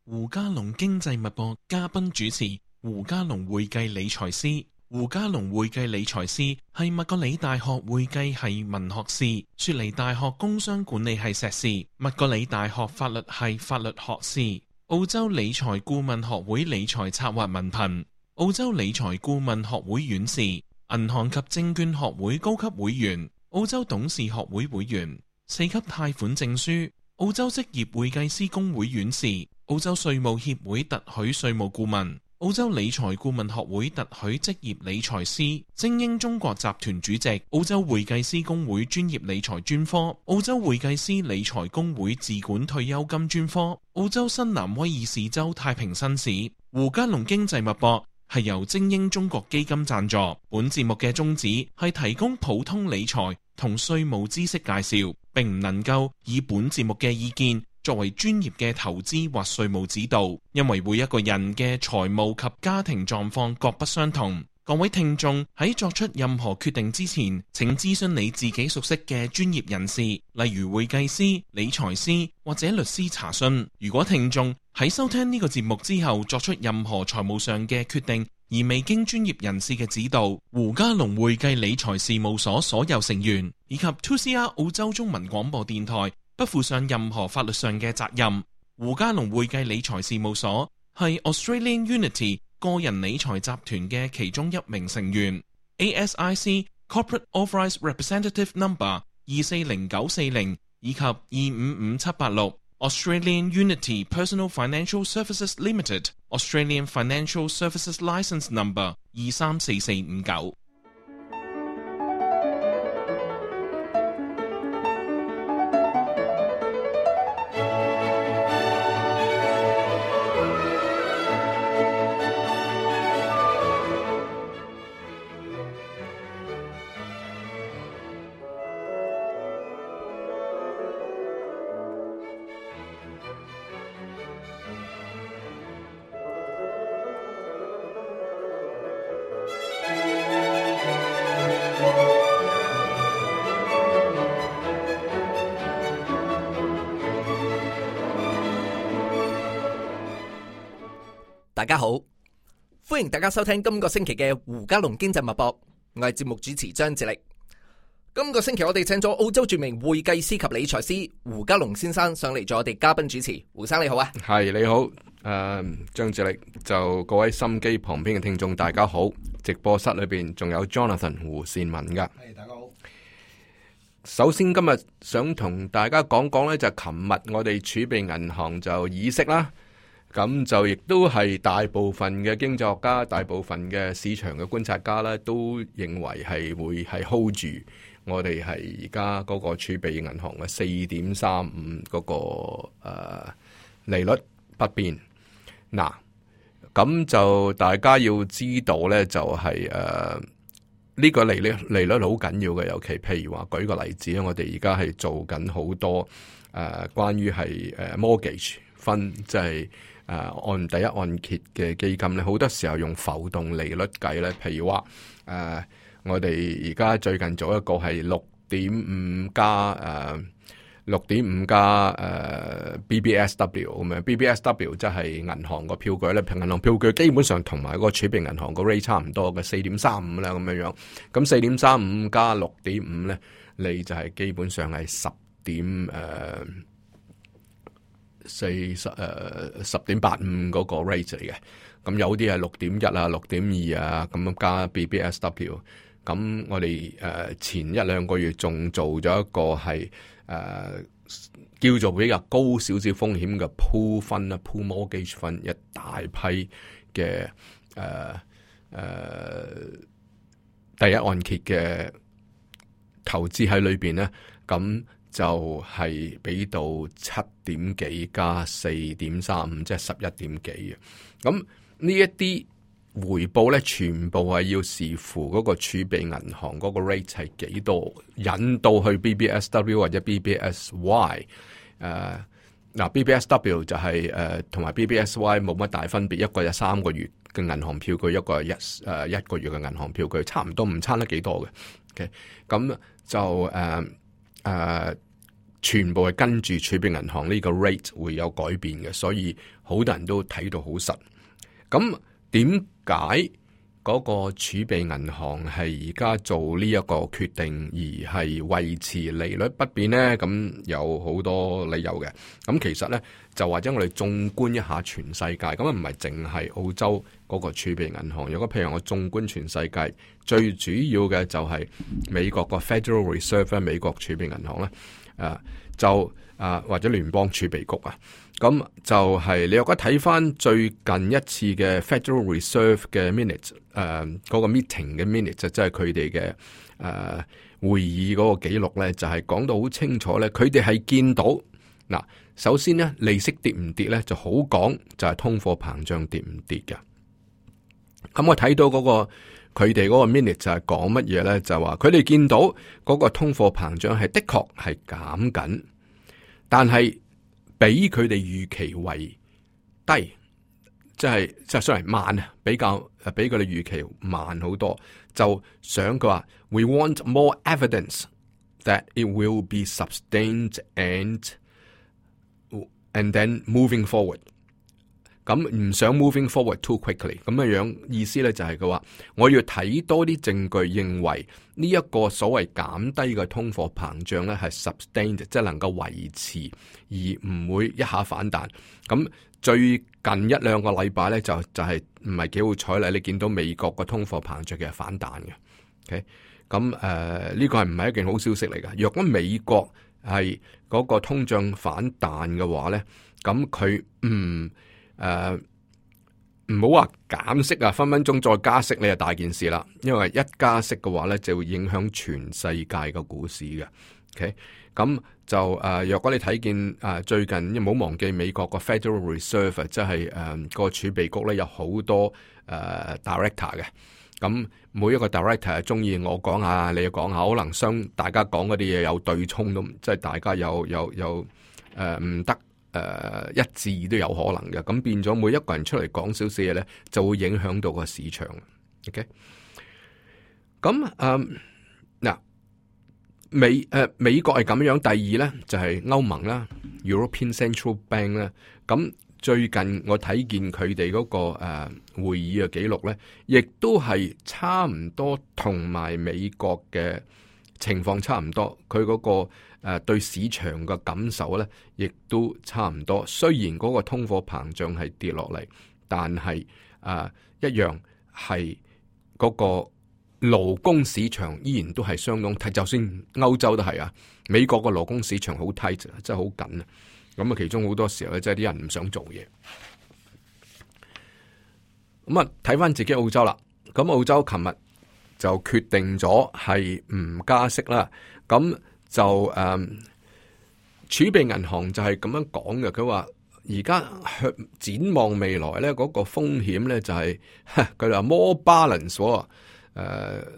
胡嘉龍經濟脈搏嘉賓主持胡嘉龍會計理財師。胡嘉龍會計理財師係麥格里大學會計系文學士，雪梨大學工商管理系碩士，麥格里大學法律系法律學士，澳洲理財顧問學會理財策劃文憑，澳洲理財顧問學會院士，銀行及證券學會高級會員，澳洲董事學會會員，4級貸款證書，澳洲職業會計師公會院士，澳洲稅務協會特許稅務顧問，澳洲理財顧問學會特許職業理財師，精英中國集團主席，澳洲會計師公會專業理財專科，澳洲會計師理財公會自管退休金專科，澳洲新南威爾士州太平紳士。胡嘉龍經濟脈搏係由精英中國基金贊助，本節目嘅宗旨係提供普通理財同稅務知識介紹，並唔能夠以本節目嘅意見作為專業嘅投資或稅務指導，因為每一個人嘅財務及家庭狀況各不相同。各位聽眾喺作出任何決定之前，請諮詢你自己熟悉嘅專業人士，例如會計師、理財師或者律師查詢。如果聽眾喺收聽呢個節目之後作出任何財務上嘅決定，而未經專業人士嘅指導，胡嘉龍會計理財事務所所有成員以及 2CR 澳洲中文廣播電台不負上任何法律上嘅責任。胡嘉龍會計理財事務所係 Australian Unity 個人理財集團嘅其中一名成員， ASIC Corporate Authorised Representative Number 240940以及255786， Australian Unity Personal Financial Services Limited Australian Financial Services Licence Number 234459。大家好，歡迎大家收聽今個星期嘅胡嘉龍經濟脈搏，我係節目主持張志力。今個星期我哋請咗澳洲著名會計師及理財師胡嘉龍先生上嚟做我哋嘉賓主持。胡生你好啊。係你好，張志力，就各位心機旁邊嘅聽眾大家好，直播室裏邊仲有 Jonathan 胡善文噶。係大家好。首先今日想同大家講講呢，就係琴日我哋儲備銀行就議息啦。咁就亦都係大部分嘅經濟學家、大部分嘅市場嘅觀察家咧，都認為係會係 hold 住我哋係而家嗰個儲備銀行嘅4.35嗰個利率不變。嗱，咁就大家要知道咧，就係呢個利率好緊要嘅，尤其譬如話舉個例子咧，我哋而家係做緊好多關於係mortgage 分，即係按第一按揭嘅基金咧，好多時候用浮動利率計咧。譬如話我哋而家最近做一個係6.5加BBSW 咁樣。BBSW 即係銀行個票據咧，銀行票據基本上同埋個儲備銀行個 rate 差唔多嘅4.35啦咁樣樣。咁4.35加6.5咧，你就係基本上係10.85嗰個 rate 嚟嘅。咁有啲係6.1啊、6.2啊咁樣加 BBSW。咁我哋前一兩個月仲做咗一個係叫做比較高少少風險嘅 pool 分啦，pool mortgage 分，一大批嘅第一按揭嘅投資喺裏邊咧，咁就係俾到7點幾加4.35，即係11點幾嘅。咁呢一啲回報咧，全部係要視乎嗰個儲備銀行嗰個 rate 係幾多，引到去 BBSW 或者 BBSY。BBSW 就係同埋 BBSY 冇乜大分別，一個有3個月嘅銀行票據，一個係一個月嘅銀行票據，差唔多，唔差得幾多嘅。OK， 咁就全部係跟住儲備銀行呢個 rate 會有改變嘅，所以好多人都睇到好實。咁點解嗰個儲備銀行係而家做呢一個決定，而係維持利率不變呢？咁有好多理由嘅。咁其實呢，就或者我哋縱觀一下全世界，咁唔係淨係澳洲嗰個儲備銀行。如果譬如我縱觀全世界，最主要嘅就係美國個 Federal Reserve 美國儲備銀行咧。或者聯邦儲備局啊，咁就係你如果睇翻最近一次嘅 Federal Reserve 嘅 minute， 嗰個 meeting 嘅 minute 就即係佢哋嘅會議嗰個記錄咧，就係講到好清楚咧，佢哋係見到嗱，首先咧利息跌唔跌咧就好講，就係通貨膨脹跌唔跌嘅。咁我睇到嗰個佢哋嗰個 minute 就係講乜嘢咧？就話佢哋見到嗰個通貨膨脹係的確係減緊，但係比佢哋預期為低，即係雖然慢啊，比佢哋預期慢好多。就想佢話 ，we want more evidence that it will be sustained and then moving forward。咁唔想 moving forward too quickly， 咁嘅樣意思咧就係佢話我要睇多啲證據，認為呢一個所謂減低嘅通貨膨脹咧係 sustained， 即係能夠維持而唔會一下反彈。咁最近一兩個禮拜咧就係唔係幾好彩啦，你見到美國個通貨膨脹嘅係反彈嘅。OK， 咁呢個係唔係一件好消息嚟㗎？若果美國係嗰個通脹反彈嘅話咧，咁佢唔好話減息啊，分分鐘再加息，你就大件事啦。因為一加息嘅話咧，就會影響全世界嘅股市嘅。OK， 咁就若果你睇見最近，唔好忘記美國個 Federal Reserve 即係個儲備局咧有好多director 嘅。咁每一個 director 係中意我講下，你講下，可能大家講嗰啲嘢有對沖都，即係大家有唔得。一致都有可能嘅，咁變咗每一個人出嚟講少少嘢咧，就會影響到個市場。OK， 咁嗱，美國係咁樣，第二咧就係歐盟啦 ，European Central Bank 啦。咁最近我睇見佢哋嗰個會議嘅記錄咧，亦都係差唔多同埋美國嘅情況差唔多，佢嗰個對市場嘅感受咧，亦都差唔多。雖然嗰個通貨膨脹係跌落嚟，但係一樣係嗰個勞工市場依然都係相當tight，就算歐洲都係啊。美國個勞工市場好 tight，真係好緊啊。咁啊，其中好多時候咧，即係啲人唔想做嘢。咁啊，睇翻自己澳洲啦。咁澳洲琴日就決定咗係唔加息啦。咁就儲備銀行就係咁樣講嘅，佢話而家展望未來咧，嗰個風險咧就係佢哋話 more balance，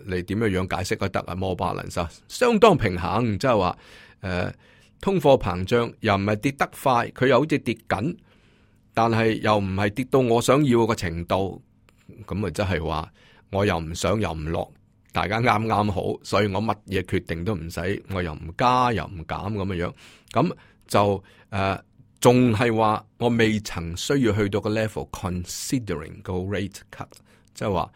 你點樣解釋都得啊 more balance 啊，相當平衡，即係話通貨膨脹又唔係跌得快，佢又好似跌緊，但係又唔係跌到我想要嘅程度，咁啊即係話我又唔上又唔落。大家啱啱好，所以我乜嘢決定都唔使，我又唔加又唔減咁嘅樣，咁就仲係話我未曾需要去到個 level considering 個 rate cut， 即係話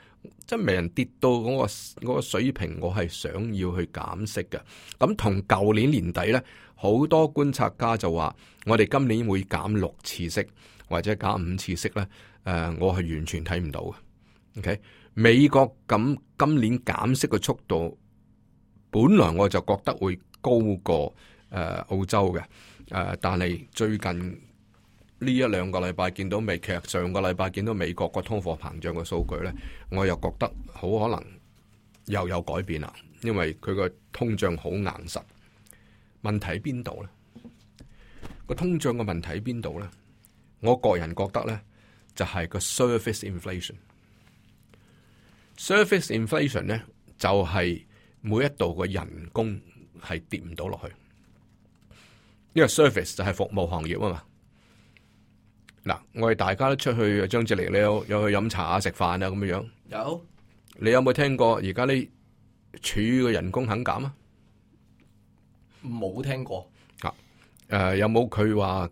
即係未人跌到嗰個水平，我係想要去減息嘅。咁同舊年年底咧，好多觀察家就話我哋今年會減6次息或者減5次息咧，我係完全睇唔到嘅。OK。美國咁今年減息嘅速度，本來我就覺得會高過澳洲嘅，但係最近呢一兩個禮拜見到其實上個禮拜見到美國個通貨膨脹嘅數據咧，我又覺得好可能又有改變啦，因為佢個通脹好硬實。問題喺邊度咧？個通脹嘅問題喺邊度咧？我個人覺得咧，就係個 surface inflation。Surface inflation 咧就係每一度嘅人工係跌唔到落去，因為 service 就係服務行業啊嘛。嗱，我哋大家都出去張志力，你有去飲茶啊、食飯啊咁樣。有，你有冇聽過而家啲處嘅人工肯減啊？冇聽過。有冇佢話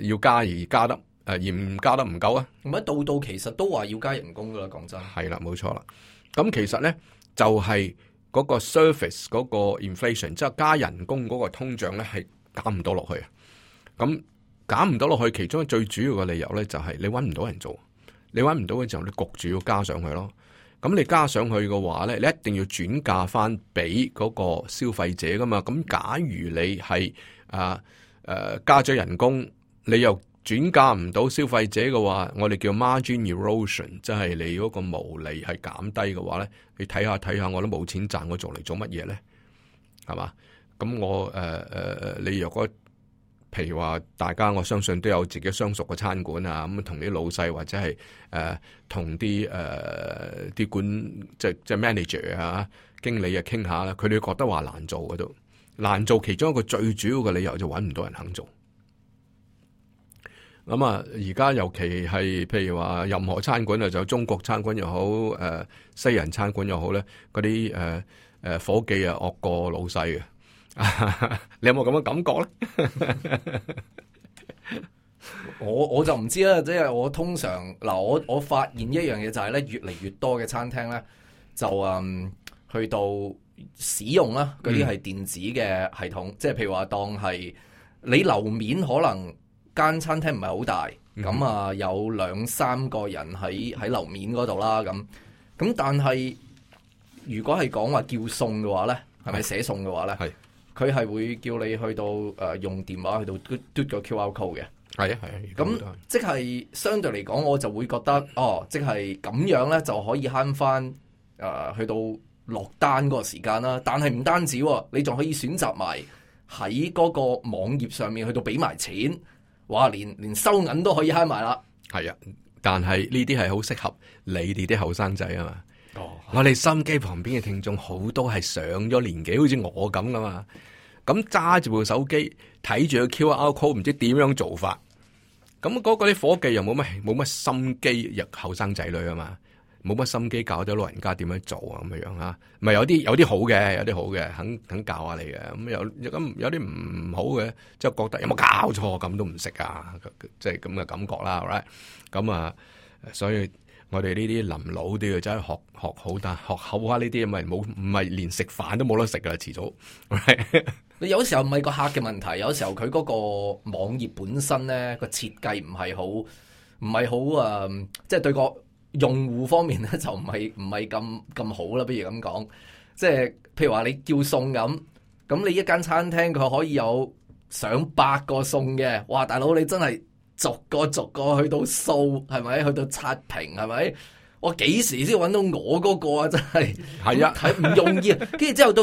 要加而加得而唔加得唔夠啊？咁一到其實都話要加人工噶啦，講真。係啦，冇錯啦。咁其實咧就係嗰個 surface 嗰個 inflation， 即係加人工嗰個通脹咧係減唔到落去啊。咁減唔到落去，其中最主要嘅理由咧就係你搵唔到人做，你搵唔到嘅時候，你焗住要加上去咯。咁你加上去嘅話咧，你一定要轉嫁翻俾嗰個消費者噶嘛。咁假如你係加咗人工，你又轉嫁唔到消費者嘅話，我哋叫 margin erosion， 即係你嗰個毛利係減低嘅話咧，你睇下，我都冇錢賺，我做嚟做乜嘢咧？係嘛？咁我你若果譬如話大家，我相信都有自己相熟嘅餐館啊，咁同啲老細或者係同啲管即係 manager 啊、經理啊傾下啦，佢哋覺得話難做嗰度，難做其中一個最主要嘅理由就揾唔到人肯做。咁啊，而家尤其係譬如話任何餐館啊，就中國餐館又好，西人餐館又好咧，嗰啲伙計啊惡過老細嘅。你有冇咁嘅感覺咧？我就唔知啦，即係我通常嗱，我發現一樣嘢就係咧，越嚟越多嘅餐廳咧就去到使用啦嗰啲係電子嘅系統，即係譬如話當係你樓面可能間餐廳唔係好大，咁有2-3個人喺樓面嗰度啦，咁但係如果係講話叫餸嘅話咧，係咪寫餸嘅話咧？係。佢係會叫你去到用電話去到嘟個 QR code 嘅，係啊，咁即係相對嚟講，我就會覺得即係咁樣咧就可以慳翻去到落單嗰個時間啦。但係唔單止，你仲可以選擇埋喺嗰個網頁上面去到俾埋錢，哇！連收銀都可以慳埋啦。係啊，但係呢啲係好適合你哋啲後生仔啊嘛。我哋心機旁邊嘅聽眾好多係上咗年紀，好似我咁噶嘛。咁揸住部手機睇住個 QR code，唔知點樣做法。咁嗰個啲伙計又冇乜心機，入後生仔女啊嘛，冇乜心機教咗老人家點樣做啊咁樣啊。唔係有啲好嘅，有啲好嘅，肯教下你嘅。咁有啲唔好嘅，即係覺得有冇搞錯咁都唔識啊，即係咁嘅感覺啦。right？ 咁所以。我哋呢啲臨老都要真係學好，但學好下呢啲，唔係連食飯都冇得食噶啦，遲早。你有時候唔係個客嘅問題，有時候佢嗰個網頁本身咧個設計唔係好即係對個用戶方面咧就唔係咁好啦。不如咁講，即係譬如話你叫餸咁你一間餐廳佢可以有上百個餸嘅，哇！大佬你真係〜逐個去到掃，係咪？去到刷屏，係咪？我幾時先揾到我嗰個啊？真係係啊，係唔容易啊！跟住之後到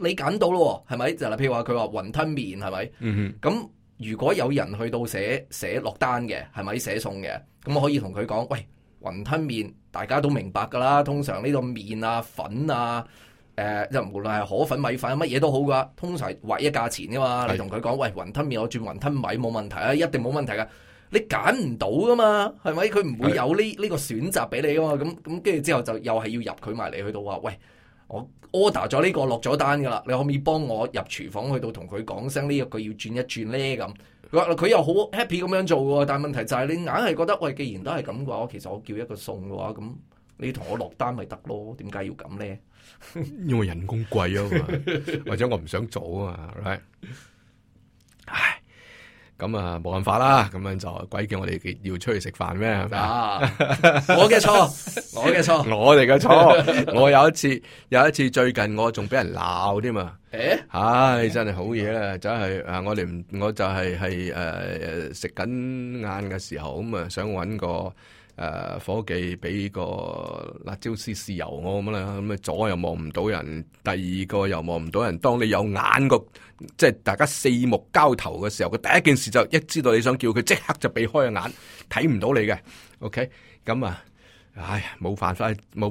你揀到咯，係咪？就係譬如話佢話雲吞麵，係咪？咁如果有人去到寫落單嘅，係咪寫餸嘅？咁我可以同佢講，喂，雲吞麵大家都明白噶啦，通常呢個麵啊、粉啊。就無論係河粉、米粉乜嘢都好噶，通常劃一價錢噶嘛。你同佢講，喂，雲吞麵我轉雲吞米冇問題啊，一定冇問題噶。你揀唔到噶嘛，係咪？佢唔會有呢個選擇俾你噶嘛。咁跟住之後就又係要入佢埋嚟，去到話，喂，我 order 咗呢個落咗單噶啦，你可唔可以幫我入廚房去到同佢講聲呢一句要轉一轉咧？咁佢又好 happy 咁樣做喎。但係問題就係你硬係覺得，喂，既然都係咁嘅話，其實我叫一個餸嘅話，咁你同我落單咪得咯？點解要咁咧？因為人工貴啊嘛，或者我唔想做啊嘛，right？ 唉，咁冇辦法啦，咁樣就鬼叫我哋要出去食飯咩？係咪啊？我嘅錯，我哋嘅錯。我有一次最近我仲俾人鬧添嘛。唉，真係好嘢啦，真係我就係食緊晏嘅時候咁想搵個。伙計俾個辣椒絲豉油我咁啦，咁左又望唔到人，第二個又望唔到人。當你有眼個，即係大家四目交投嘅時候，佢第一件事就一知道你想叫佢，即刻就避開個眼，睇唔到你嘅。OK， 咁冇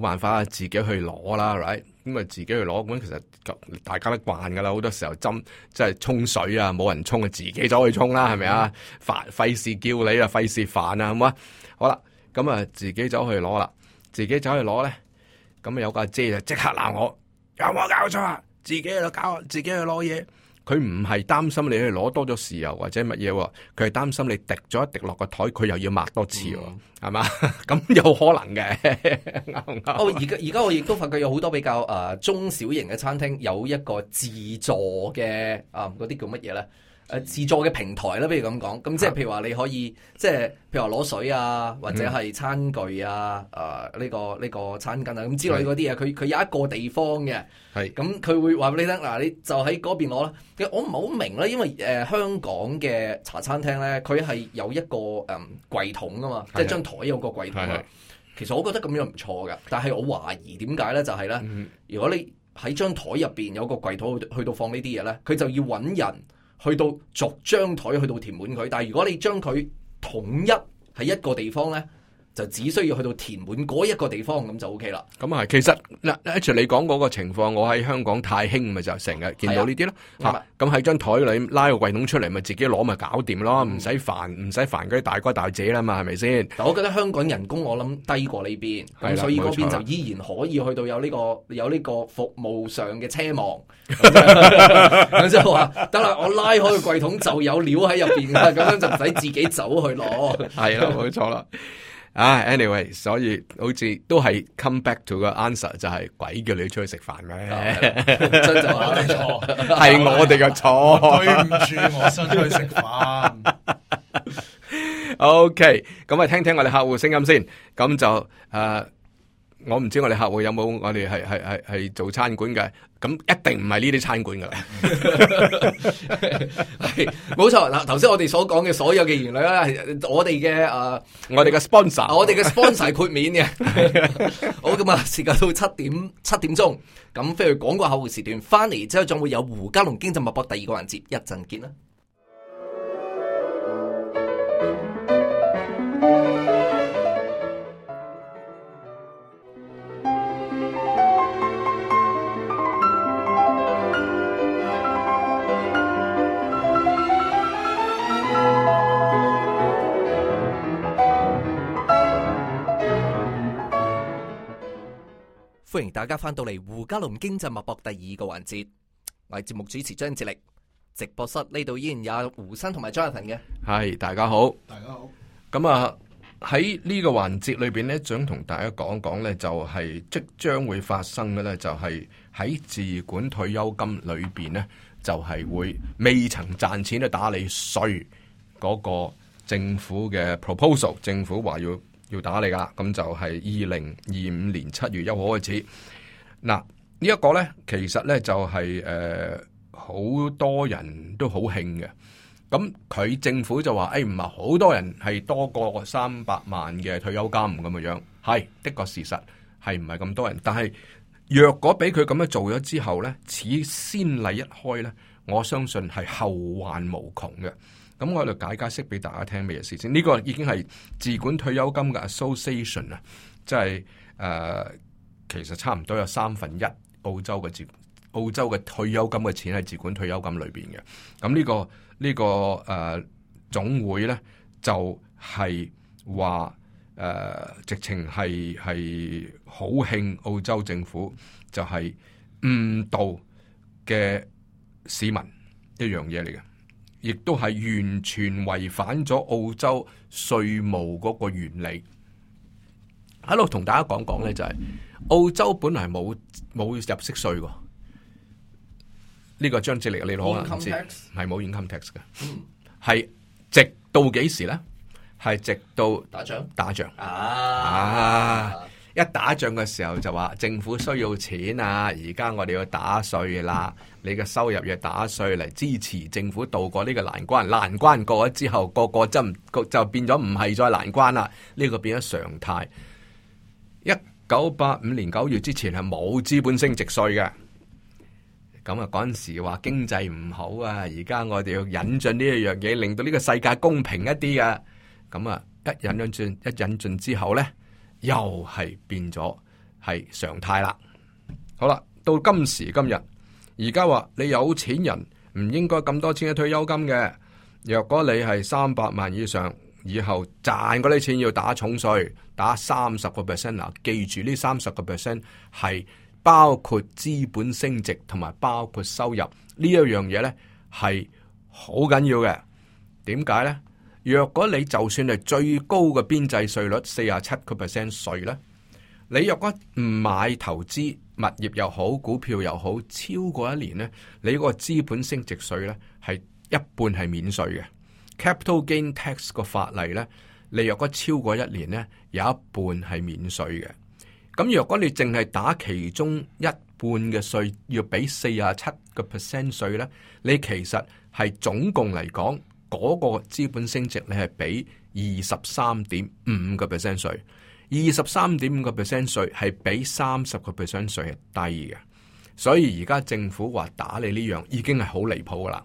辦法，自己去攞啦 ，right？ 咁自己去攞，咁其實大家都慣噶啦，好多時候即係沖水啊，冇人沖啊，自己走去沖啦，係咪啊？費事叫你啊，費事煩啊，係嘛？好啦。咁自己走去攞啦，自己走去攞咧，咁有個阿姐就即刻鬧我，有冇搞錯啊？自己喺度搞，自己去攞嘢。佢唔係擔心你去攞多咗豉油或者乜嘢喎，佢係擔心你滴咗一滴落個台，佢又要抹多次喎，係嘛？咁有可能嘅，啱唔啱？而家我亦都發覺有好多比較中小型嘅餐廳有一個自助嘅嗰啲叫乜嘢咧？自助嘅平台啦，不如咁講，咁即係譬如話你可以即係譬如話攞水啊，或者係餐具啊，呢個餐巾啊咁之類嗰啲嘢，佢有一個地方嘅，係咁佢會話俾你聽，嗱你就喺嗰邊攞啦。其實我唔係好明啦，因為香港嘅茶餐廳咧，佢係有一個櫃桶啊嘛，即係張台有個櫃桶啊。其實我覺得咁樣唔錯㗎，但係我懷疑點解咧，就係咧，如果你喺張台入邊有個櫃桶去到放呢啲嘢咧，佢就要揾人去到逐張台去到填滿佢，但係如果你將佢統一喺一個地方咧，就只需要去到填滿嗰一個地方咁就 OK 啦。咁啊，其實嗱，H 你講嗰個情況，我喺香港太興咪就成日見到呢啲咯。咁喺張台裏拉個櫃桶出嚟，咪自己攞咪搞掂咯，唔使煩嗰啲大哥大姐啦嘛，係咪先？但我覺得香港人工我諗低過呢邊，咁所以嗰邊就依然可以去到有呢個服務上嘅奢望。咁就話得啦，我拉開個櫃桶就有料喺入邊啦，咁樣就唔使自己走去攞。係啦，冇錯啦。anyway， 所以好似都係 come back to 個 answer， 就係鬼叫你出去食飯咩？真就話你錯，係我哋嘅錯。對唔住，我想出去食飯。OK， 咁啊，聽聽我哋客戶聲音先。咁就我唔知我哋客戶有冇我哋係做餐館嘅，咁一定唔係呢啲餐館噶啦。係冇錯嗱，頭先我哋所講嘅所有嘅言論咧，係我哋嘅我哋嘅 sponsor， 我哋嘅 sponsor 係豁免嘅。好，咁啊，時間到七點鐘，咁飛去廣告客戶時段，翻嚟之後仲會有胡嘉龍經濟脈搏第二個環節，一陣見啦。歡迎大家翻到嚟胡嘉龍經濟脈搏第二個環節，我係節目主持張智力，直播室呢度依然有胡生同埋 Jonathan 嘅。係，大家好，大家好。咁啊喺呢個環節裏邊呢，想同大家講講呢，就係即將會發生嘅呢，就係喺自管退休金裏邊呢，就係會未曾賺錢咧打你稅嗰個政府嘅 proposal， 政府話要打你噶，咁就係2025年7月1號開始。嗱，呢一個呢，其實呢就係好多人都好興嘅。咁佢政府就話，唔係好多人係多過300萬嘅退休金咁嘅樣，係的確事實係唔係咁多人。但係若果俾佢咁樣做咗之後呢，此先例一開呢，我相信係後患無窮嘅。咁我喺度解釋俾大家聽咩嘢事先。呢個已經係自管退休金嘅 association 啊，即係其實差唔多有1/3澳洲嘅退休金嘅錢係自管退休金裏邊嘅。咁呢個總會咧就係話直情係好興澳洲政府就係誤導嘅市民一樣嘢嚟嘅。亦都係完全違反咗澳洲稅務嗰個原理。喺度同大家講講咧，就係澳洲本來冇入息稅㗎。呢個張智力你可能唔知，係冇 income tax 嘅，係直到幾時咧？係直到打仗一打仗嘅時候就話政府需要錢啊！而家我哋要打稅啦，你嘅收入要打稅嚟支持政府渡過呢個難關。難關過咗之後，個就變咗唔係再難關啦。呢個變咗常態。1985年9月之前係冇資本升值稅嘅。咁啊，嗰陣時話經濟唔好啊，而家我哋要引進呢一樣嘢，令到呢個世界公平一啲啊。咁啊，一引進之後咧，又係變咗係常態啦。好啦，到今時今日，而家話你有錢人唔應該咁多錢嘅退休金嘅。若果你係300萬以上，以後賺嗰啲錢要打重稅，打30%。嗱，記住呢30%係包括資本升值同埋包括收入呢一樣嘢呢，係好緊要嘅。點解呢？若果你就算係最高嘅邊際稅率47%稅呢，你若果唔買投資物業又好，股票又好，超過1年呢，你嗰個資本升值稅呢係一半係免稅嘅。Capital gain tax 個法例呢，你若果超過1年呢，有一半係免稅嘅。咁若果你淨係打其中一半嘅稅，要俾47%稅呢，你其實係總共嚟講嗰個資本升值你係俾23.5%稅。23.5% 稅係比30% 稅係低嘅，所以而家政府話打你呢樣已經係好離譜噶啦。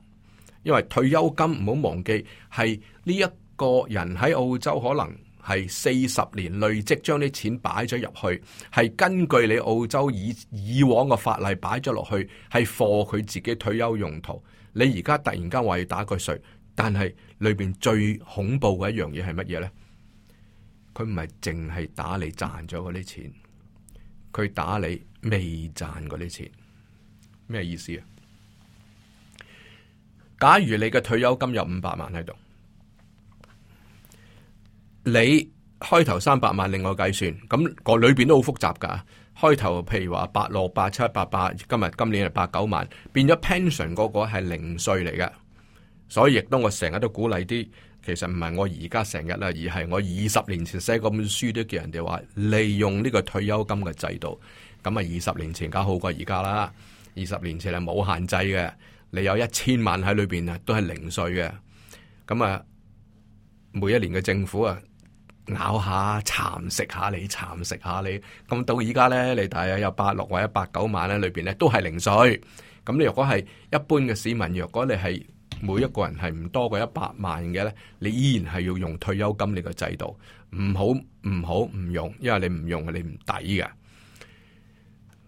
因為退休金唔好忘記係呢一個人喺澳洲可能係40年累積將啲錢擺咗入去，係根據你澳洲以往嘅法例擺咗落去，係 for 佢自己退休用途。你而家突然間話要打佢稅，但係裏邊最恐怖嘅一樣嘢係乜嘢呢？佢唔係淨係打你賺咗嗰啲錢，佢打你未賺嗰啲錢。咩意思啊？假如你嘅退休金有500萬喺度，你開頭300萬另外計算，咁個裏邊都好複雜噶。開頭譬如話86、87、88，今年係89萬，變咗 pension 嗰個係零稅嚟嘅。所以亦都我成日都鼓勵啲。其實唔係我而家成日啦，而係我20年前寫嗰本書都叫人哋話利用呢個退休金嘅制度。咁啊20年前梗好過而家啦。20年前係冇限制嘅，你有1000萬喺裏邊啊，都係零稅嘅。咁啊，每一年嘅政府啊咬下蠶食下你，蠶食下你。咁到而家咧，你大約有86或者89萬咧，裏邊咧都係零稅。咁你如果係一般嘅市民，若果你係每一個人係唔多過100萬嘅咧，你依然係要用退休金呢個制度，唔用，因為你唔用你唔抵嘅。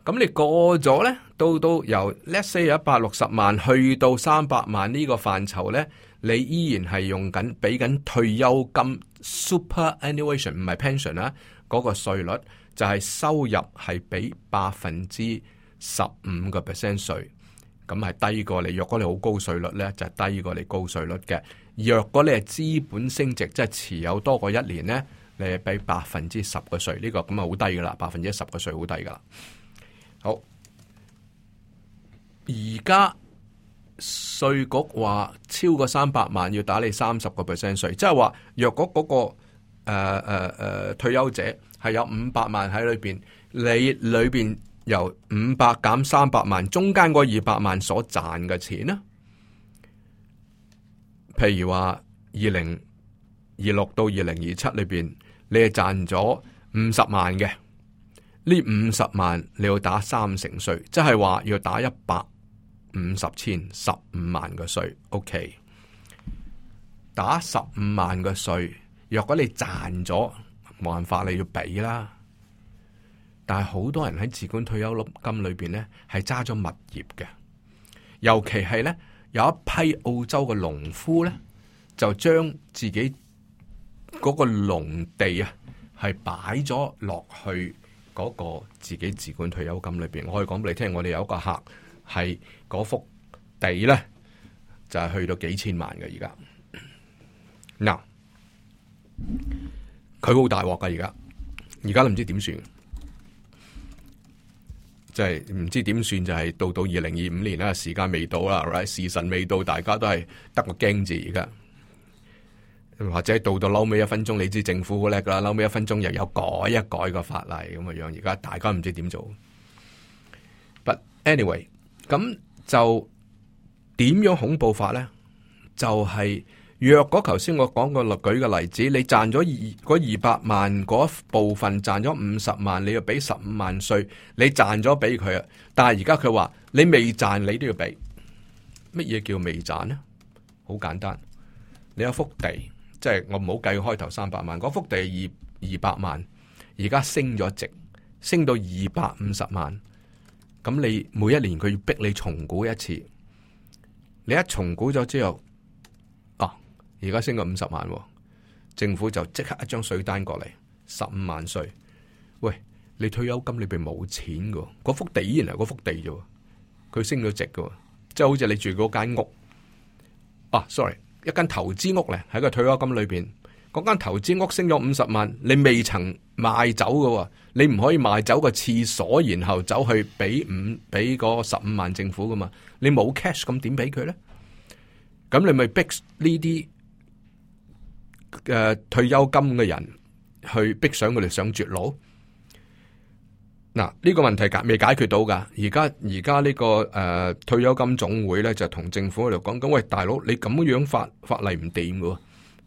咁你過咗咧，到由 let's say 160萬去到300萬呢個範疇咧，你依然係用緊俾緊退休金 superannuation 唔係 pension 啦，嗰個稅率就係收入係俾15%稅。咁係低過你，若果你好高稅率咧，就係低過你高稅率嘅。若果你係資本升值，即係持有多過1年咧，你係俾10%嘅稅。呢個咁啊好低噶啦，10%嘅稅好低噶啦。好，而家稅局話超過300萬要打你30%稅，即係話若果嗰個退休者係有500萬喺裏邊，你裏邊由500減300萬，中間嗰200萬所賺嘅錢呢？譬如話2026到2027裏邊，你係賺咗50萬嘅，呢50萬你要打30%稅，即係話要打150千15萬嘅稅。OK， 打15萬嘅稅，若果你賺咗，冇辦法你要俾啦。但係好多人喺自管退休金裏邊咧，係揸咗物業嘅，尤其係咧有一批澳洲嘅農夫咧，就將自己嗰個農地啊，係擺咗落去嗰個自己自管退休金裏邊。我可以講俾你聽，我哋有一個客係嗰幅地咧，就係去到幾千萬嘅而家。嗱，佢好大鑊噶，而家都唔知點算。即係唔知點算，就係到2025年啦，時間未到啦，時辰未到，大家都係得個驚字而家，或者到嬲尾1分鐘，你知政府好叻噶啦，嬲尾1分鐘又有改一改個法例咁嘅樣，而家大家唔知點做。But anyway， 咁就點樣恐怖法咧？就係若果頭先我講過舉個例子，你賺咗200萬嗰部分賺咗50萬，你要俾15萬稅，你賺咗俾佢啊！但係而家佢話你未賺，你都要俾。乜嘢叫未賺呢？好簡單，你有幅地，即係我唔好計開頭300萬，嗰幅地係200萬，而家升咗值，升到250萬，咁你每一年佢要逼你重估一次，你一重估咗之後，而家升咗50萬，政府就即刻一張稅單過嚟，15萬稅。喂，你退休金裏邊冇錢噶，嗰幅地依然係嗰幅地啫，佢升咗值噶，即係好似你住嗰間屋， sorry， 一間投資屋咧喺個退休金裏邊，嗰間投資屋升咗50萬，你未曾賣走嘅，你唔可以賣走個廁所，然後走去俾嗰15萬政府噶嘛？你冇 cash 咁點俾佢咧？咁你咪逼呢啲退休金嘅人去逼上佢哋上絕路。嗱，呢個問題未解決到噶。而家呢個退休金總會咧就同政府喺度講緊，喂，大佬，你咁樣法例唔掂噶。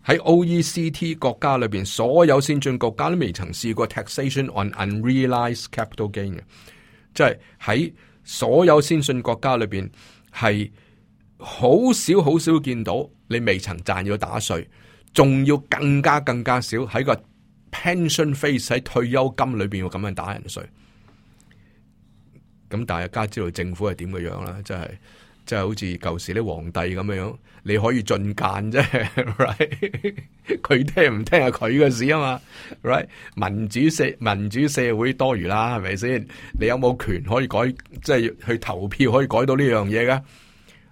喺 OECD 國家裏邊，所有先進國家都未曾試過 taxation on unrealized capital gain 嘅，即係喺所有先進國家裏邊係好少見到你未曾賺要打稅，仲要更加少喺個 pension phase 喺退休金裏邊要咁樣打人稅。咁大家知道政府係點嘅樣啦，即係好似舊時啲皇帝咁樣，你可以進諫啫 ，right？ 佢聽唔聽係佢嘅事啊嘛 ，right？ 民主社會多餘啦，係咪先？你有冇權可以改，即係去投票可以改到呢樣嘢㗎？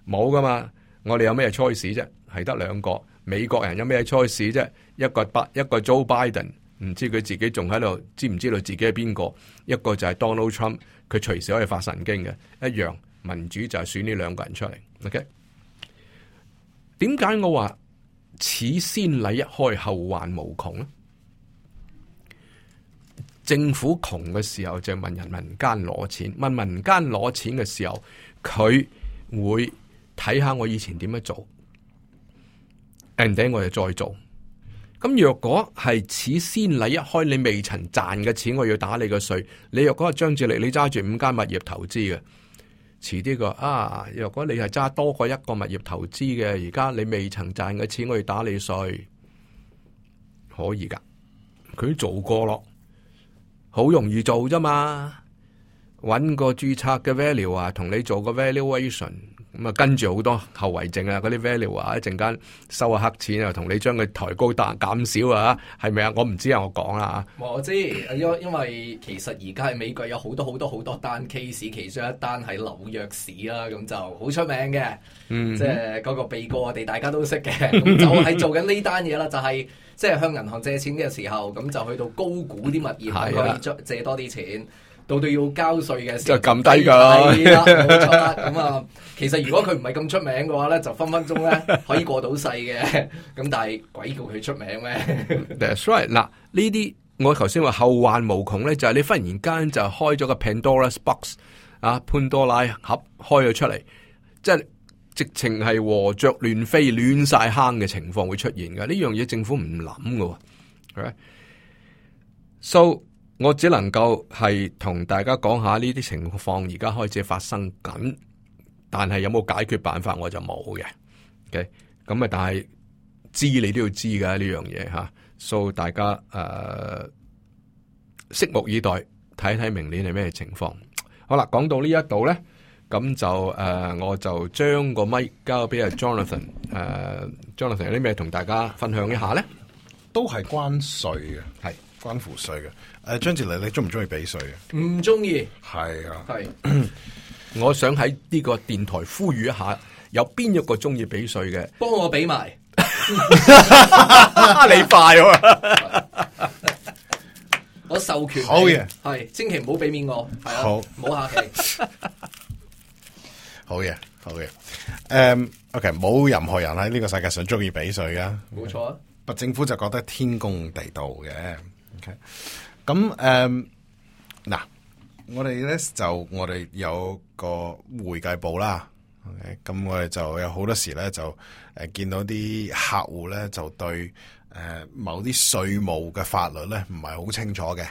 冇噶嘛，我哋有咩 choice 啫？係得兩個，美國人有咩 choice 啫？一個 Joe Biden， 唔知佢自己仲喺度，知唔知道自己係邊個？一個就係 Donald Trump， 佢隨時可以發神經嘅，一樣。民主就係選呢兩個人出嚟 ，OK？ 點解我話此先例一開，後患無窮咧？政府窮嘅時候就問民間攞錢，問民間攞錢嘅時候，佢會睇下我以前點樣做 ，and then 我就再做。咁若果係此先例一開，你未曾賺嘅錢，我要打你個稅。你若果係張志力，你揸住5間物業投資嘅。遲啲個若果你係揸多過一個物業投資嘅，而家你未曾賺嘅錢，我要打你稅，可以噶，佢做過咯，好容易做啫嘛，搵個註冊嘅 value 同你做個 valuation， 咁跟住好多後遺症啊，嗰啲 value 一陣間收下黑錢啊，同你將佢抬高減少啊，係咪啊？我唔知啊，我講啦。我知，因為其實而家喺美國有好多單 case， 其中一單喺紐約市啦，咁就好出名嘅，即係嗰個被告我哋大家都識嘅，咁就係做緊呢單嘢啦，就係即係向銀行借錢嘅時候，咁就去到高估啲物業，可以借多啲錢。到要交稅嘅時候就撳低㗎，係啦，冇錯啦。咁啊，其實如果佢唔係咁出名嘅話咧，就分鐘咧可以過到世嘅。咁但係鬼叫佢出名咩？That's right。嗱，呢啲我頭先話後患無窮咧，就係你忽然間就開咗個 Pandora's box 啊，潘多拉盒開咗出嚟，即係直情係禾雀亂飛、亂晒坑嘅情況會出現嘅。呢樣嘢政府唔諗㗎喎。So我只能夠係同大家講下呢啲情況而家開始發生緊，但係有冇解決辦法我就冇嘅。OK， 咁但係知你都要知㗎呢樣嘢吓，所以大家拭目以待，睇睇明年係咩情況。好啦，講到呢一度咧，咁就我就將個咪交俾阿 Jonathan。Jonathan 有啲咩同大家分享一下咧？都係關稅嘅，係關乎稅嘅。張志禮，你中唔中意俾稅嘅？唔中意。係啊，係。我想喺呢個電台呼籲一下，有邊一個中意俾稅嘅？幫我俾埋。你快喎！我授權。好嘢。係，千祈唔好俾面我。係啊。好。唔好客氣。好嘢，好嘢。OK， 冇任何人喺呢個世界上中意俾稅㗎。冇錯啊。但政府就覺得天公地道嘅。OK。咁嗱，我哋有個會計部啦。OK，咁我哋就有好多時咧就見到啲客戶咧就對某啲稅務嘅法律咧唔係好清楚嘅。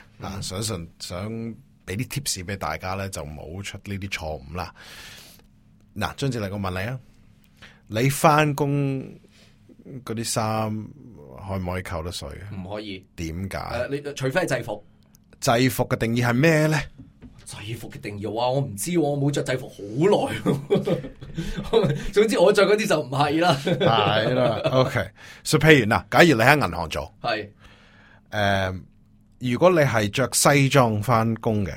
想俾啲 tips 俾大家咧就冇出呢啲錯誤啦。嗱，張志禮，我問你啊，你翻工嗰啲衫可唔可以扣得稅啊？唔可以。點解？你除非係制服。制服嘅定義係咩咧？制服嘅定義我唔知，我冇着制服好耐。總之我着嗰啲就唔係啦。係啦，OK。所以譬如嗱，假如你喺銀行做，係如果你係着西裝翻工嘅，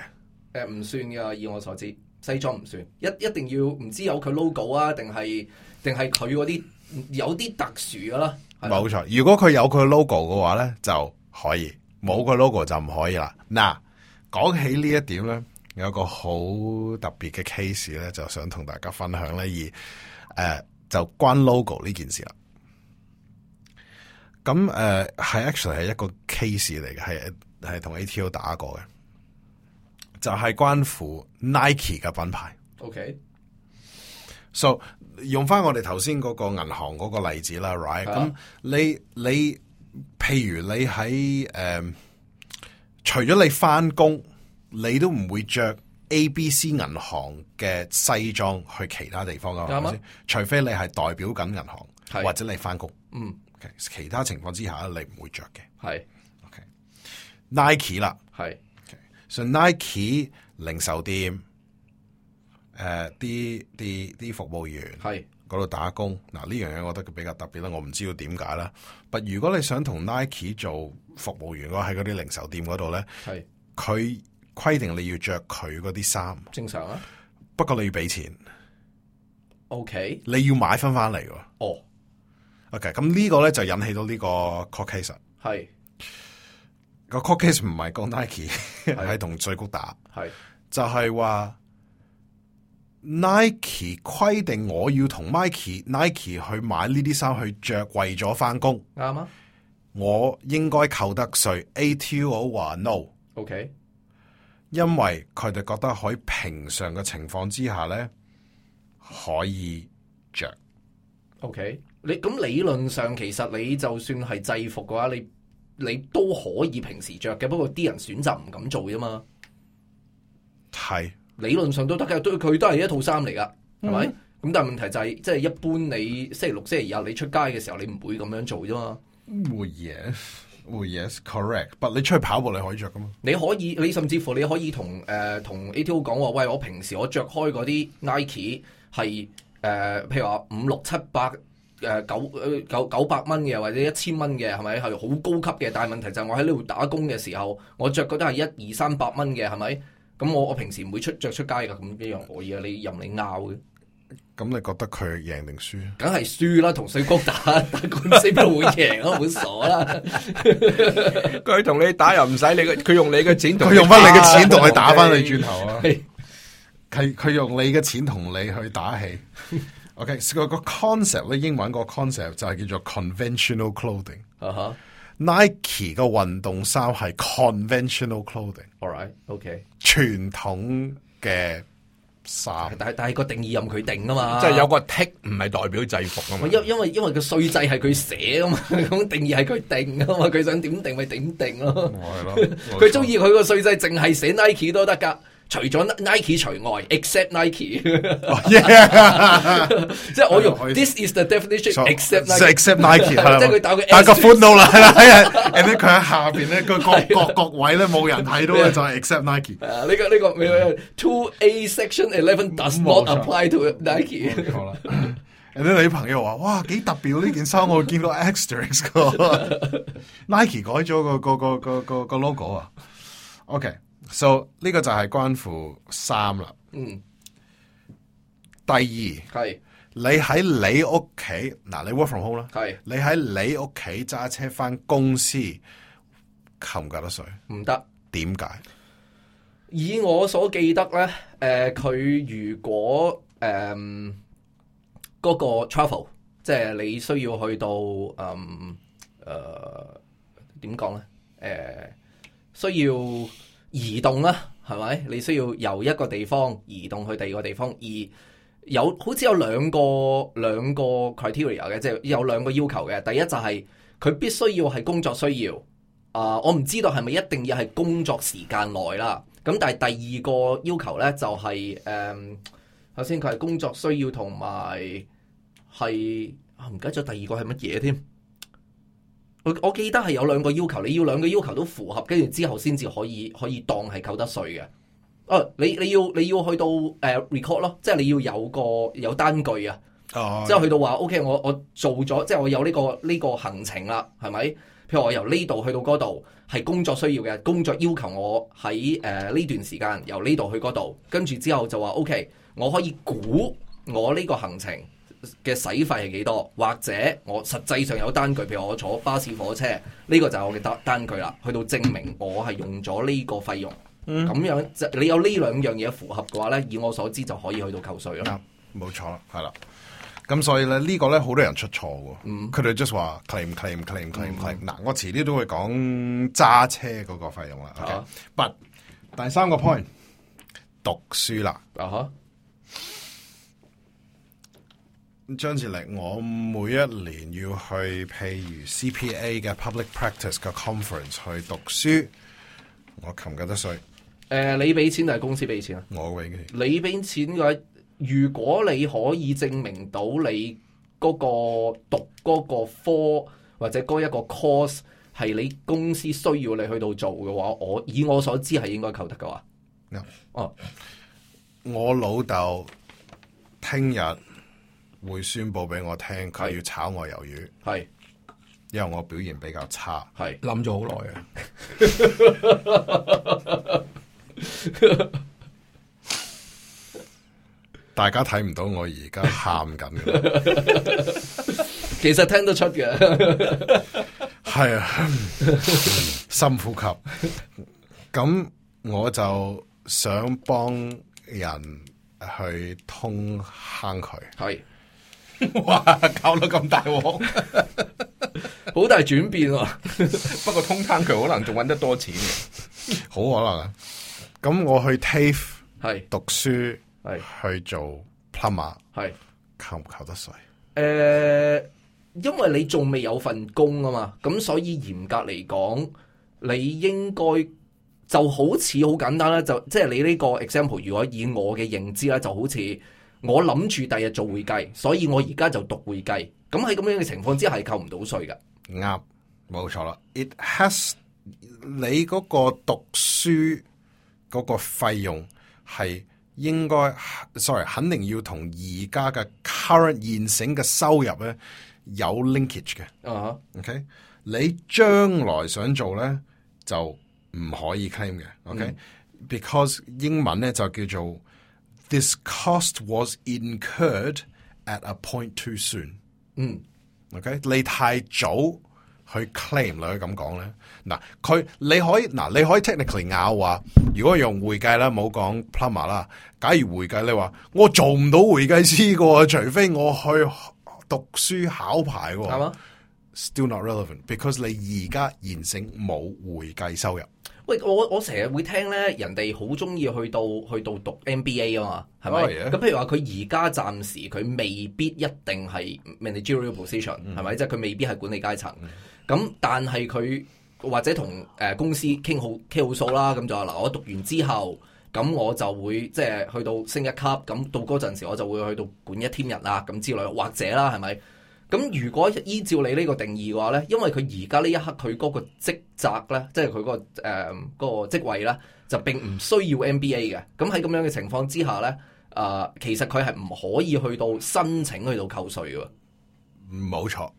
唔算噶，以我所知。西裝唔算，一定要唔知有佢 logo 啊，定係佢嗰啲有啲特殊噶啦。冇錯，如果佢有佢 logo 嘅話咧就可以，冇佢 logo 就唔可以啦。嗱，講起呢一點咧，有一個好特別嘅 case 咧，就想同大家分享咧，就關 logo 呢件事啦。咁係 actually 係一個 case 嚟嘅，係同 ATO 打過嘅，就係關乎 Nike 嘅品牌。OK，so 用翻我哋頭先嗰個銀行嗰個例子啦 ，right？咁你譬如你喺除咗你翻工，你都唔會着 ABC 銀行嘅西裝去其他地方噶，係咪先？除非你係代表緊銀行，或者你翻工。其他情況之下你唔會着嘅。係 ，Nike 啦，係，所以 Nike 零售店，啲服務員係嗰度打工。嗱，呢樣嘢我覺得比較特別啦，我唔知道點解啦。但如果你想同 Nike 做服務員嘅話，喺嗰啲零售店嗰度咧，係佢規定你要着佢嗰啲衫，正常啊。不過你要俾錢。OK，你要買翻嚟喎。哦。OK， 咁呢個咧就引起到呢個 court case。係個 court case 唔係講 Nike， 係同稅局打。係就係話 Nike 規定我要同 Nike 去買呢啲衫去着，為咗翻工。啱啊。我應該扣得稅。ATO 話 no。OK， 因為佢哋覺得喺平常嘅情況之下咧可以着。OK。你咁理論上其實你就算係制服嘅話，你都可以平時着嘅，不過啲人選擇唔敢做啫嘛。係理論上都得嘅，佢都係一套衫嚟噶，係咪？咁但係問題就係，即係一般你星期六、星期日你出街嘅時候，你唔會咁樣做啫嘛。會 yes correct， 但你出去跑步你可以着噶嘛？你可以，你甚至乎你可以同ATO 講話，喂，我平時我着開嗰啲 Nike 係譬如話5、6、7、8。900蚊嘅或者1000蚊嘅，係咪係好高級嘅？但係問題就係我喺呢度打工嘅時候，我着嗰啲係100、200、300蚊嘅，係咪？咁我平時唔會着出街噶，咁一樣可以啊！你任你拗嘅。咁你覺得佢贏定輸？梗係輸啦，同稅局打官司邊會贏啊？好傻啦！佢同你打又唔使你嘅，佢用你嘅錢，佢用翻你嘅錢同佢打翻你轉頭啊！佢用你嘅錢同你去打氣。OK， 個 concept 咧，英文個 concept 就係叫做 conventional clothing。Nike 個運動衫係 conventional clothing。All right，OK， 傳統嘅衫，但係個定義任佢定啊嘛，即係有個 tick 唔係代表制服啊嘛。因為個稅制係佢寫啊嘛，咁定義係佢定啊嘛，佢想點定咪點定咯。係咯，佢中意佢個稅制淨係寫 Nike 都得噶。除咗 Nike 除外 ，except Nike， 即係我用 This is the definition except Nike， 即係佢打個寬度啦，係啦，and 佢喺下邊咧，個各位咧冇人睇到嘅就係 except Nike。呢個 2A section 11 does not apply to Nike。好啦，and 你啲朋友話：哇，幾特別呢件衫，我見到 asterisk 個 Nike 改咗個 logo 啊。OK。So 呢個就係關乎衫啦。第二係你喺你屋企嗱，你 work from home 啦。係你喺你屋企揸車翻公司，扣唔扣得稅？唔得。點解？以我所記得咧，佢如果嗰個 travel， 即係你需要去到點講咧？需要移動啦，係咪？你需要由一個地方移動去第二個地方，而好似有兩個 criteria 嘅，即係有兩個要求嘅。第一就係佢必須要係工作需要，我唔知道係咪一定要係工作時間內啦。咁但係第二個要求咧就係首先佢係工作需要同埋係唔記得咗第二個係乜嘢添。我記得係有兩個要求，你要兩個要求都符合，跟住之後先至可以當係扣得稅嘅。你要去到record 咯，即係你要有單據啊。即係去到話 OK， 我做咗，即係我有呢個行程啦，係咪？譬如我由呢度去到嗰度係工作需要嘅，工作要求我喺呢段時間由呢度去嗰度，跟住之後就話 OK， 我可以估我呢個行程嘅使費係幾多，或者我實際上有單據，譬如我坐巴士火車，呢個就係我嘅單據啦，去到證明我係用咗呢個費用。咁樣你有呢兩樣嘢符合嘅話咧，以我所知就可以去到扣稅咯。冇錯啦，係啦。咁所以咧呢個咧好多人出錯喎，佢哋 just 話 claim。嗱，我遲啲都會講揸車嗰個費用啦。OK，but 第三個 point 讀書啦。張志力，我每一年要去譬如 CPA 嘅 Public Practice 嘅 Conference 去讀書，我扣唔扣得稅？你俾錢定係公司俾錢啊？我俾嘅。你俾錢嘅話，如果你可以證明到你嗰個讀嗰個科或者嗰一個 course 係你公司需要你去到做嘅話，以我所知係應該扣得嘅話。我老豆聽日會宣佈俾我聽，佢要炒我魷魚。係，因為我表現比較差。係諗咗好耐啊！大家睇唔到我而家喊緊嘅，其實聽得出嘅。係啊，深呼吸。咁我就想幫人去通坑佢。係，哇，搞到咁大鑊，好大轉變啊！不過通坑佢可能仲揾得多錢嘅，好可能啊！咁我去 TAFE 係讀書，係去做 plumber， 係扣唔扣得稅？因為你仲未有份工啊嘛，咁所以嚴格嚟講，你應該就好似好簡單啦，就即係你呢個 example， 如果以我嘅認知咧，就好似我諗住第日做會計，所以我而家就讀會計，咁喺咁樣嘅情況之下係扣唔到稅㗎。啱，冇錯啦。It has 你嗰個讀書嗰個費用係應該 ，sorry， 肯定要同而家嘅 current 現成嘅收入咧有 linkage 嘅。OK， 你將來想做咧就唔可以 claim 嘅。OK，because 英文咧就叫做 This cost was incurred at a point too soon。OK， 你太早去 claim 你可以咁講咧。嗱，你可以 technically 拗話，如果用會計啦，冇講 plumber 啦。假如會計你話我做唔到會計師嘅，除非我去讀書考牌嘅，係嘛 ？Still not relevant because 你而家現成冇會計收入。喂，我成日會聽咧，人哋好中意去到讀 MBA 啊嘛，係咪？咁譬如話佢而家暫時佢未必一定係 managerial position，係咪？即係佢未必係管理階層。咁但係佢或者同公司傾好數啦，咁就話嗱，我讀完之後，咁我就會即係去到升一級，咁到嗰陣時我就會去到管一 team 人啦，咁之類，或者啦，係咪？咁如果依照你呢個定義嘅話咧，因為佢而家呢一刻佢嗰個職責咧，即係佢嗰個職位咧，就並唔需要 MBA 嘅。咁喺咁樣嘅情況之下咧，其實佢係唔可以去到申請去到扣稅嘅。冇錯，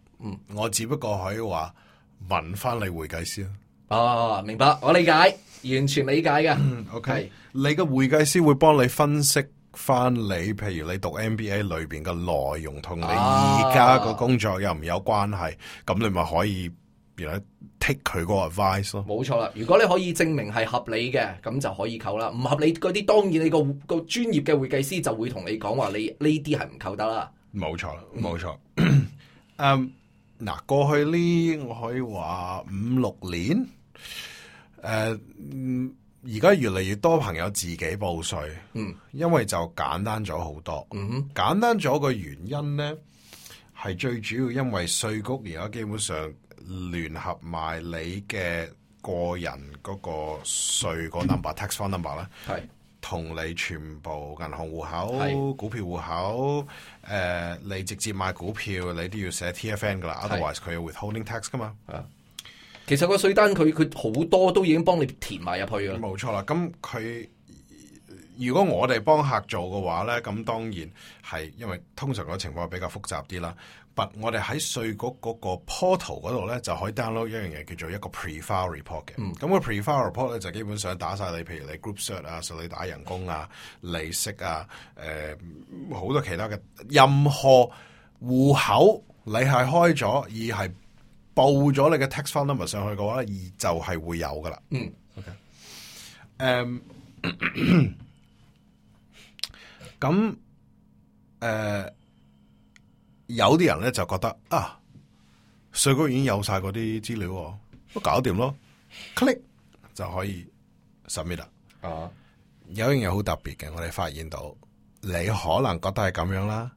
我只不過可以話問翻你會計師明白，我理解，完全理解嘅。OK， 你嘅會計師會幫你分析翻你，譬如你讀 MBA 裏邊嘅內容同你而家個工作有唔有關係，咁你咪可以take 佢個 advice 咯。冇錯啦，如果你可以證明係合理嘅，咁就可以扣啦。唔合理嗰啲，當然你個專業嘅會計師就會同你講話，你呢啲係唔扣得啦。冇錯啦，冇錯。嗱，過去呢，我可以話5-6年，而家越嚟越多朋友自己報稅，因為就簡單咗好多。簡單咗個原因咧，係最主要因為稅局而家基本上聯合埋你嘅個人嗰個稅個 number、tax file number 咧，係同你全部銀行戶口、股票戶口，你直接買股票，你都要寫 TFN 噶啦 ，otherwise 佢有 withholding tax 噶嘛。其實個稅單佢好多都已經幫你填埋入去㗎。冇錯啦，咁佢如果我哋幫客做嘅話咧，咁當然係因為通常個情況比較複雜啲啦。But 我哋喺稅局嗰個 portal 嗰度咧，就可以 download 一樣嘢叫做一個 pre-file report 嘅。咁個 pre-file report 咧就基本上打晒你，譬如你 group cert 啊，你打人工啊、利息啊、好多其他嘅任何戶口你係開咗而係報咗你嘅 tax file number 上去嘅話咧，而就係會有噶啦。OK。咁有啲人咧就覺得啊，稅局已經有晒嗰啲資料，都搞掂咯 ，click 就可以 submit 啦。有一樣嘢好特別嘅，我哋發現到你可能覺得係咁樣啦，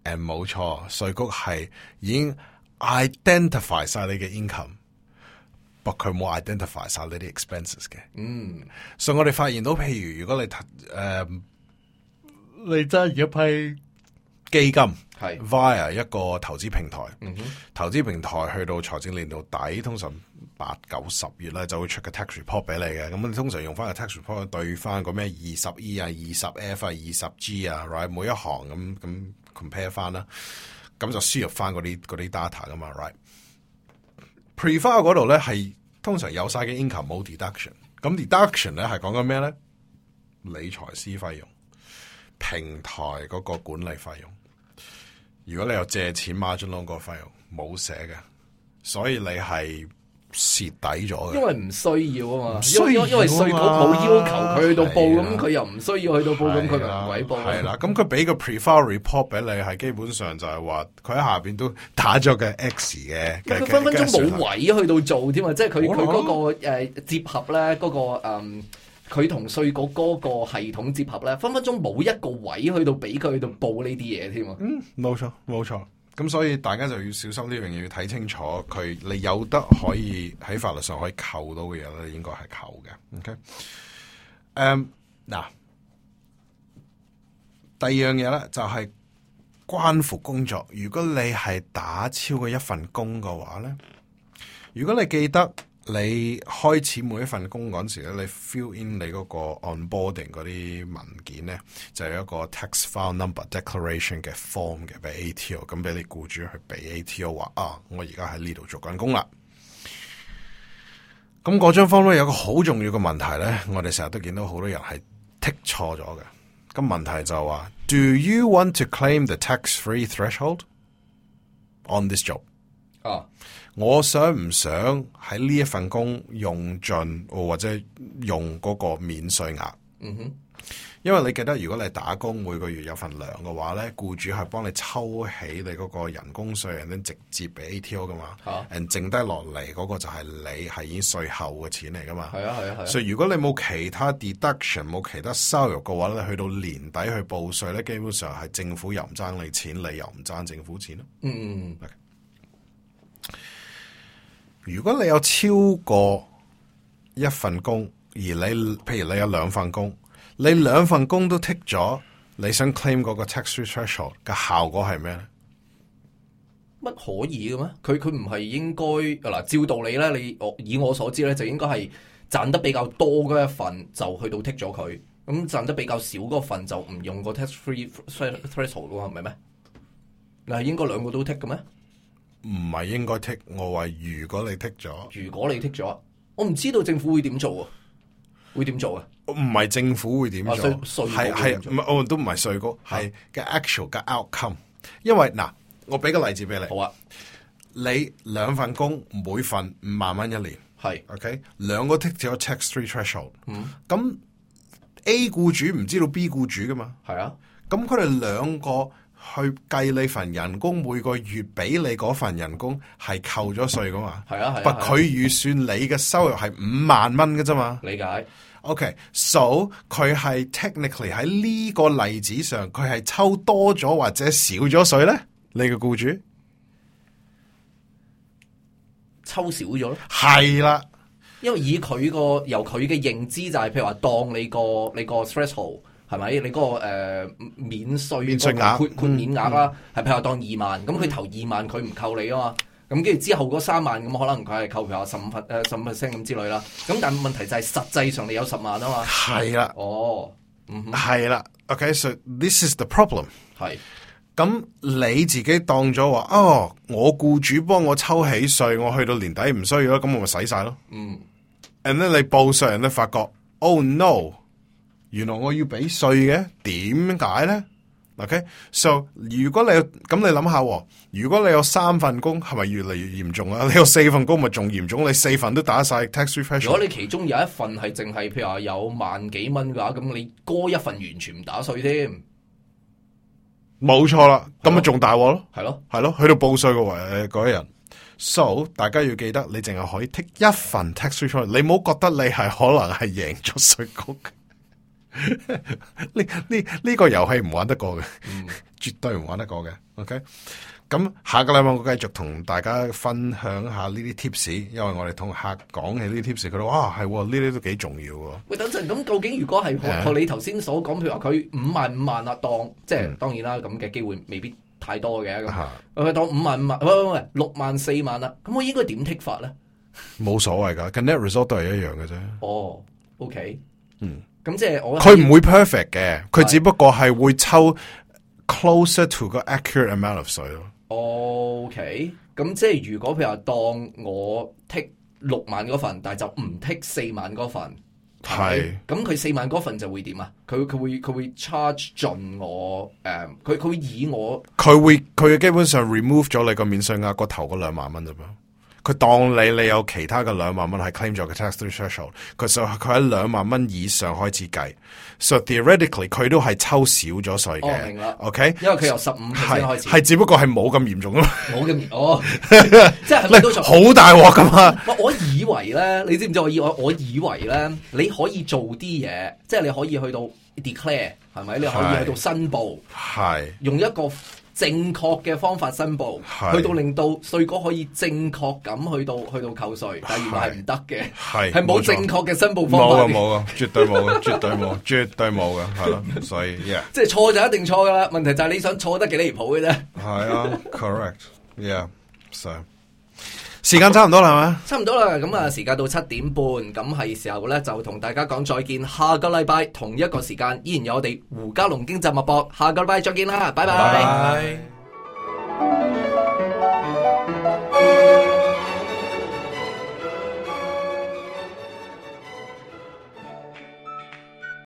冇錯，稅局係已經 identify 晒你嘅 income。But 佢冇 identify 晒你啲 expenses 嘅，所以我哋發現到，譬如如果你你揸住一批基金，係 via 一個投資平台，投資平台去到財政年度底，通常8、9、10月咧就會出個 tax report 俾你嘅，咁你通常用翻個 tax report 對翻個咩20E 啊、20F 啊、20G 啊 ，right 每一行咁 compare 翻啦，咁就輸入翻嗰啲 data 噶嘛 ，right。Pre-file 嗰度咧係通常有晒嘅 income 冇 deduction， 咁 deduction 咧係講緊咩咧？理財師費用、平台嗰個管理費用，如果你有借錢 margin loan 個費用冇寫嘅，所以你係蝕底咗嘅。因為唔需要啊嘛，因為稅局冇要求佢去到報，咁佢又唔需要去到報，咁佢咪唔鬼報。係啦，咁佢俾個 pre-file report 俾你，係基本上就係話佢喺下邊都打咗個 X 嘅。佢分分鐘冇位去到做添啊！即係佢嗰個接合咧，嗰個佢同稅局嗰個系統接合咧，分分鐘冇一個位去到俾佢去到報呢啲嘢添啊！冇錯冇錯。咁所以大家就要小心呢樣嘢，要睇清楚佢你有得可以喺法律上可以扣到嘅嘢咧，應該係扣嘅。OK，嗱，第二樣嘢咧就係關乎工作。如果你係打超過一份工嘅話咧，如果你記得你開始每一份工嗰陣時咧，你 fill in 你嗰個 onboarding 嗰啲文件咧，就有一個 tax file number declaration 嘅 form 嘅俾 ATO， 咁俾你僱主去俾 ATO 話啊，我而家喺呢度做緊工啦。咁嗰張 form 咧有個好重要嘅問題咧，我哋成日都見到好多人係剔錯咗嘅。咁問題就話 ，Do you want to claim the tax-free threshold on this job？我想唔想喺呢一份工用盡或者用嗰個免稅額？因為你記得，如果你打工每個月有份糧嘅話咧，僱主係幫你抽起你嗰個人工稅，然後直接俾 ATO 噶嘛，剩低落嚟嗰個就係你係已經稅後嘅錢嚟噶嘛。係啊。所以如果你冇其他 deduction， 冇其他收入嘅話咧，去到年底去報稅咧，基本上係政府又唔爭你錢，你又唔爭政府錢咯。Okay. 如果你有超過一份工，而你譬如你有2份工，你2份工都剔咗，你想 claim 嗰個 tax-free threshold 嘅效果係咩咧？乜可以嘅咩？佢唔係應該嗱？照道理咧，以我所知咧，就應該係賺得比較多嗰一份就去到剔咗佢，咁賺得比較少嗰份就唔用個 tax-free threshold 咯，係咪咩？嗱，應該2個都剔嘅咩？唔係應該剔，我話如果你剔咗，我唔知道政府會點做啊？會點做啊？唔係政府會點做，係唔係？都唔係稅局，係嘅 actual 嘅 outcome。因為嗱，我俾個例子俾你。好啊，你2份工，每份5萬蚊一年，係 OK， 2個剔咗 tax-free threshold。咁 A 僱主唔知道 B 僱主噶嘛？係啊，咁佢哋2個。去計你份人工，每個月俾你嗰份人工係扣咗稅噶嘛？係啊。不過佢預算你嘅收入係5萬蚊嘅啫嘛？理解。OK，so 佢係 technically 喺呢個例子上，佢係抽多咗或者少咗稅咧？你嘅僱主抽少咗咯？係啦，因為以佢個由佢嘅認知就係，譬如話當你個 threshold。係咪？你嗰個免稅額豁免額啦，係譬如話當2萬，咁佢頭2萬佢唔扣你啊嘛，咁跟住之後嗰3萬咁可能佢係扣譬如話15% 咁之類啦。咁但係問題就係實際上你有10萬啊嘛。係啦。係啦。OK，so this is the problem。係。咁你自己當咗話哦，我僱主幫我抽起稅，我去到年底唔需要啦，咁我咪使晒咯。and then 你報稅人都發覺 ，oh no， 原來我要俾稅嘅，點解咧 ？OK，so 如果你咁你諗下，如果你有3份工，係咪越嚟越嚴重啊？你有4份工咪仲嚴重？你4份都打晒 tax refresh。如果你其中有一份係淨係譬如話有萬幾蚊嘅話，咁你嗰一份完全唔打稅添。冇錯啦，咁咪仲大鑊咯，係咯，係咯，去到報稅嗰一日。So 大家要記得，你淨係可以剔一份 tax return， 你唔好覺得你係可能係贏咗稅局。呢個遊戲唔玩得過嘅，絕對唔玩得過嘅。OK， 咁下個禮拜我繼續同大家分享下呢啲 tips， 因為我哋同客講起呢啲 tips， 佢哋哇係呢啲都幾重要喎。喂，等陣咁究竟如果係學你頭先所講，譬如話佢5萬啦，當即係當然啦，咁嘅機會未必太多嘅。咁佢當5萬喂6萬4萬啦，咁我應該點剔法咧？冇所謂噶，個 net result 都係一樣嘅啫。哦 ，OK， 咁即係佢唔會 perfect 嘅，佢只不過係會抽 closer to 個 accurate amount of 稅咯。OK， 咁即係如果譬如話當我剔6萬嗰份，但係就唔剔4萬嗰份，係咁佢4萬嗰份就會點啊？佢會 charge 盡我佢會以我佢基本上 remove 咗你個免稅額個頭嗰2萬蚊啫噃。佢當你有其他嘅2萬蚊係 claim 咗嘅 tax threshold， 佢喺2萬蚊以上開始計 ，so theoretically 佢都係抽少咗稅嘅。明啦 ，OK， 因為佢由15%開始，係只不過係冇咁嚴重咯。冇咁即係都好大鑊噶嘛。我以為咧，你知唔知我以為咧，你可以做啲嘢，即係你可以去到 declare 係咪？你可以去到申報，係用一個正確嘅方法申報，去到令到稅局可以正確咁去到扣稅，但原來係唔得嘅，係冇正確嘅申報方法。冇啊，絕對冇嘅，絕對冇，絕對冇嘅，係咯，所以即係錯就一定錯噶啦，問題就係你想錯得幾離譜嘅啫。係啊，correct，yeah，so 時間差唔多啦，係咪？差唔多啦，咁啊，時間到7點半，咁係時候咧就同大家講再見。下個禮拜同一個時間，依然有我哋胡嘉龍經濟脈搏，下個禮拜再見啦，拜拜。